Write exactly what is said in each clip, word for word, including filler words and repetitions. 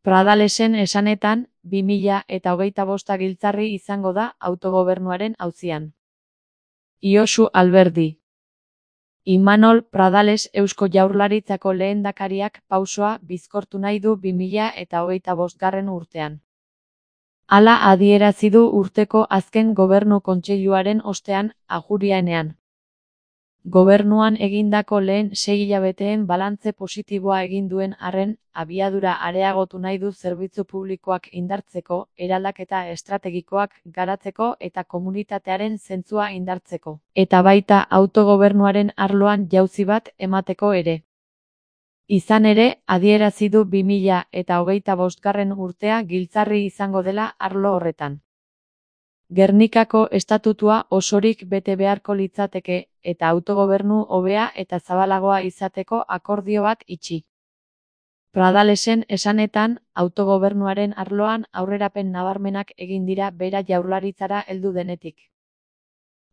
Pradalesen esanetan, bi mila eta hogeita bosta giltzarri izango da autogobernuaren auzian. Josu Alberdi. Imanol Pradales Eusko Jaurlaritzako lehendakariak pausoa bizkortu nahi du bi mila eta hogeita bostgarren urtean. Hala adierazi du urteko azken gobernu kontseiluaren ostean ajurianean. Gobernuan egindako lehen sei hilabeteen balantze positiboa egin duen arren, abiadura areagotu nahi du zerbitzu publikoak indartzeko, eraldaketa estrategikoak garatzeko eta komunitatearen zentzua indartzeko, eta baita autogobernuaren arloan jauzi bat emateko ere. Izan ere, adierazi du bi mila eta hogeita bostgarren urtea giltzarri izango dela arlo horretan. Gernikako estatutua osorik bete beharko litzateke, eta autogobernu hobea eta zabalagoa izateko akordio bat itxi. Pradalesen esanetan, autogobernuaren arloan aurrerapen nabarmenak egin dira bera Jaurlaritzara heldu denetik.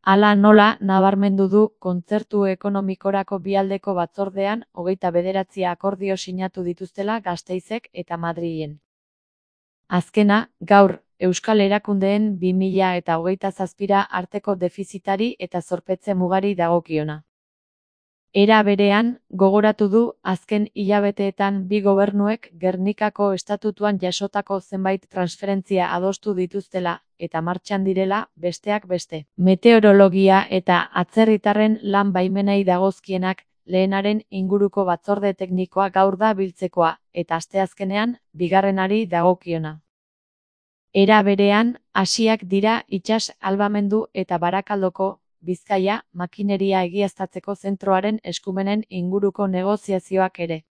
Hala nola nabarmendu du kontzertu ekonomikorako bialdeko batzordean hogeita bederatzi akordio sinatu dituztela Gasteizek eta Madrilen. Azkena, gaur, Euskal Erakundeen bi mila eta hogeita zazpira arteko defizitari eta zorpetze mugari dagokiona. Era berean, gogoratu du azken hilabeteetan bi gobernuek Gernikako estatutuan jasotako zenbait transferentzia adostu dituztela, eta martxan direla, besteak beste. Meteorologia eta atzerritarren lan baimenei dagozkienak, lehenaren inguruko batzorde teknikoa gaur da biltzekoa, eta asteazkenean, bigarrenari dagokiona. Era berean, hasiak dira itsas albamendu eta Barakaldoko, Bizkaia, makineria egiaztatzeko zentroaren eskumenen inguruko negoziazioak ere.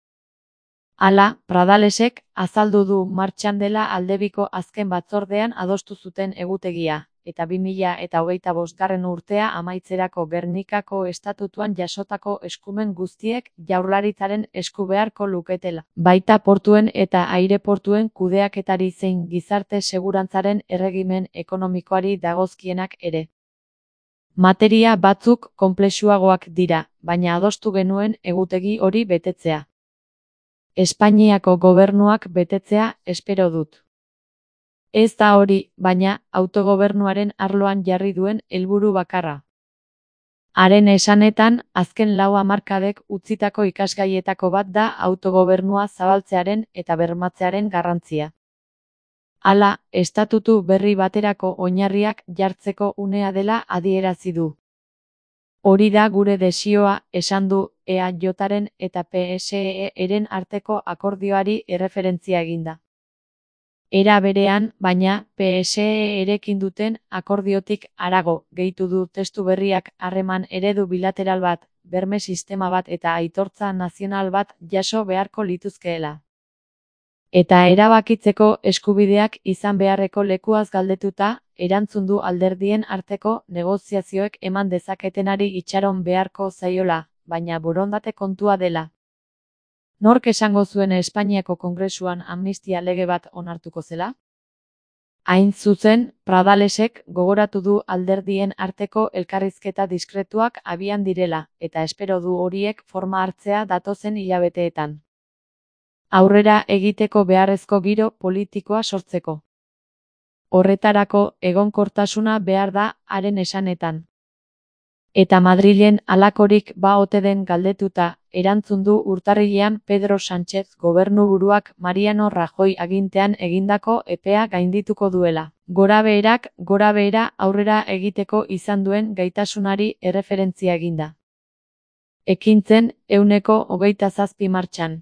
Hala, Pradalesek azaldu du martxan dela aldebiko azken batzordean adostu zuten egutegia, eta bi mila eta hogeita bostgarren urtea amaitzerako Gernikako estatutuan jasotako eskumen guztiek Jaurlaritzaren esku beharko luketela. Baita portuen eta aireportuen kudeaketari zein gizarte segurantzaren erregimen ekonomikoari dagozkienak ere. Materia batzuk konplexuagoak dira, baina adostu genuen egutegi hori betetzea. Espainiako gobernuak betetzea espero dut. Ez da hori, baina, autogobernuaren arloan jarri duen helburu bakarra. Haren esanetan, azken lau hamarkadek utzitako ikasgaietako bat da autogobernua zabaltzearen eta bermatzearen garrantzia. Hala, estatutu berri baterako oinarriak jartzeko unea dela adierazi du. Hori da gure desioa, esan du, E A Jaren eta P S E-ren arteko akordioari erreferentzia eginda. Era berean, baina, P S E-erekin duten akordiotik harago, gehitu du testu berriak harreman eredu bilateral bat, berme sistema bat eta aitortza nazional bat jaso beharko lituzkeela. Eta erabakitzeko eskubideak izan beharreko lekuaz galdetuta, erantzun du alderdien arteko negoziazioek eman dezaketenari itxaron beharko zaiola, baina borondate kontua dela. Nork esango zuen Espainiako Kongresuan amnistia lege bat onartuko zela? Hain zuzen, Pradalesek gogoratu du alderdien arteko elkarrizketa diskretuak abian direla, eta espero du horiek forma hartzea datozen hilabeteetan. Aurrera egiteko beharrezko giro politikoa sortzeko. Horretarako egonkortasuna behar da haren esanetan. Eta Madrilen halakorik ba ote den galdetuta, erantzun du urtarrilean Pedro Sánchez gobernuburuak Mariano Rajoy agintean egindako epea gaindituko duela. Gorabeherak gorabehera aurrera egiteko izan duen gaitasunari erreferentzia eginda. Ekintzen, ehuneko hogeita zazpi martxan.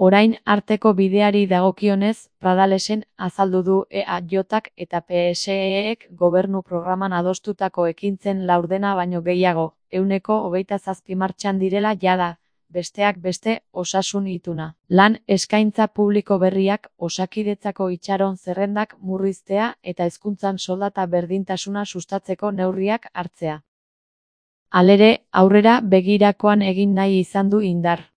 Orain arteko bideari dagokionez, Pradalesen azaldu du E A Jak eta P S E-ek gobernu programan adostutako ekintzen laurdena baino gehiago, ehuneko hogeita zazpi martxan direla jada, besteak beste, osasun ituna. Lan eskaintza publiko berriak, Osakidetzako itxaron zerrendak murriztea eta hezkuntzan soldata berdintasuna sustatzeko neurriak hartzea. Halere, aurrera begirakoan egin nahi izan du indar.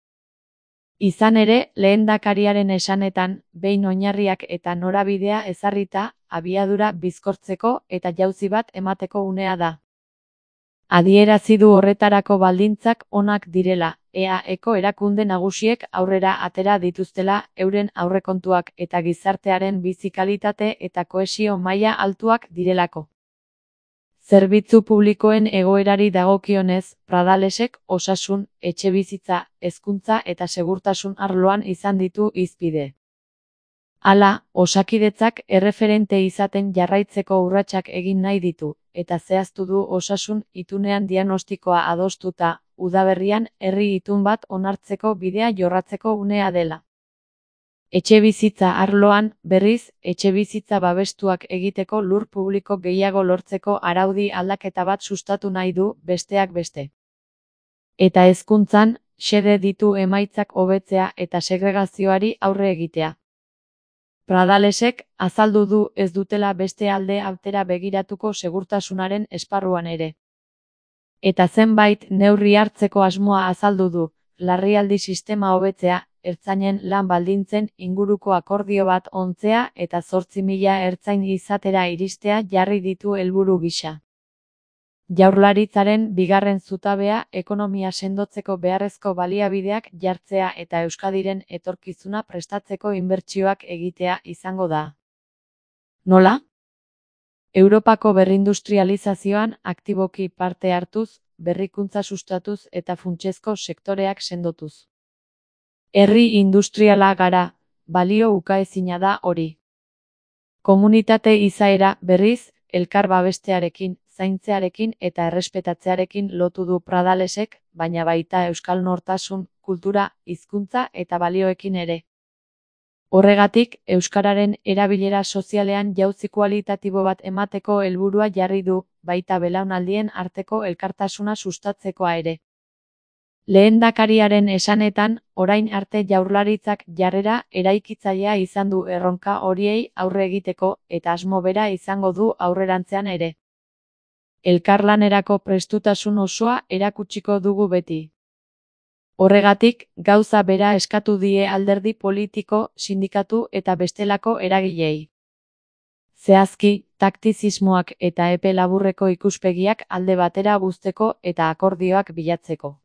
Izan ere, lehendakariaren esanetan, behin oinarriak eta norabidea ezarrita, abiadura bizkortzeko eta jauzi bat emateko unea da. Adierazi du horretarako baldintzak onak direla, E A Eko erakunde nagusiek aurrera atera dituztela euren aurrekontuak eta gizartearen bizi kalitate eta kohesio maila altuak direlako. Zerbitzu publikoen egoerari dagokionez, Pradalesek osasun, etxebizitza, hezkuntza eta segurtasun arloan izan ditu hizpide. Hala, Osakidetzak erreferente izaten jarraitzeko urratsak egin nahi ditu, eta zehaztu du osasun itunean diagnostikoa adostuta, udaberrian herri itun bat onartzeko bidea jorratzeko unea dela. Etxebizitza arloan, berriz, etxebizitza babestuak egiteko lur publiko gehiago lortzeko araudi aldaketa bat sustatu nahi du, besteak beste. Eta hezkuntzan, xede ditu emaitzak hobetzea eta segregazioari aurre egitea. Pradalesek azaldu du ez dutela beste alde altera begiratuko segurtasunaren esparruan ere. Eta zenbait neurri hartzeko asmoa azaldu du, larrialdi sistema hobetzea, ertzainen lan baldintzen inguruko akordio bat ontzea eta zortzi mila ertzain izatera iristea jarri ditu helburu gisa. Jaurlaritzaren bigarren zutabea ekonomia sendotzeko beharrezko baliabideak jartzea eta Euskadiren etorkizuna prestatzeko inbertsioak egitea izango da. Nola? Europako berrindustrializazioan aktiboki parte hartuz, berrikuntza sustatuz eta funtsezko sektoreak sendotuz. Herri industriala gara, balio ukaezina da hori. Komunitate izaera, berriz, elkar babestearekin, zaintzearekin eta errespetatzearekin lotu du Pradalesek, baina baita euskal nortasun, kultura, hizkuntza eta balioekin ere. Horregatik, euskararen erabilera sozialean jauzi kualitatibo bat emateko helburua jarri du, baita belaunaldien arteko elkartasuna sustatzekoa ere. Lehendakariaren esanetan, orain arte Jaurlaritzak jarrera eraikitzailea izan du erronka horiei aurre egiteko eta asmo bera izango du aurrerantzean ere. Elkarlanerako prestutasun osoa erakutsiko dugu beti. Horregatik, gauza bera eskatu die alderdi politiko, sindikatu eta bestelako eragileei. Zehazki, taktizismoak eta epe laburreko ikuspegiak alde batera uzteko eta akordioak bilatzeko.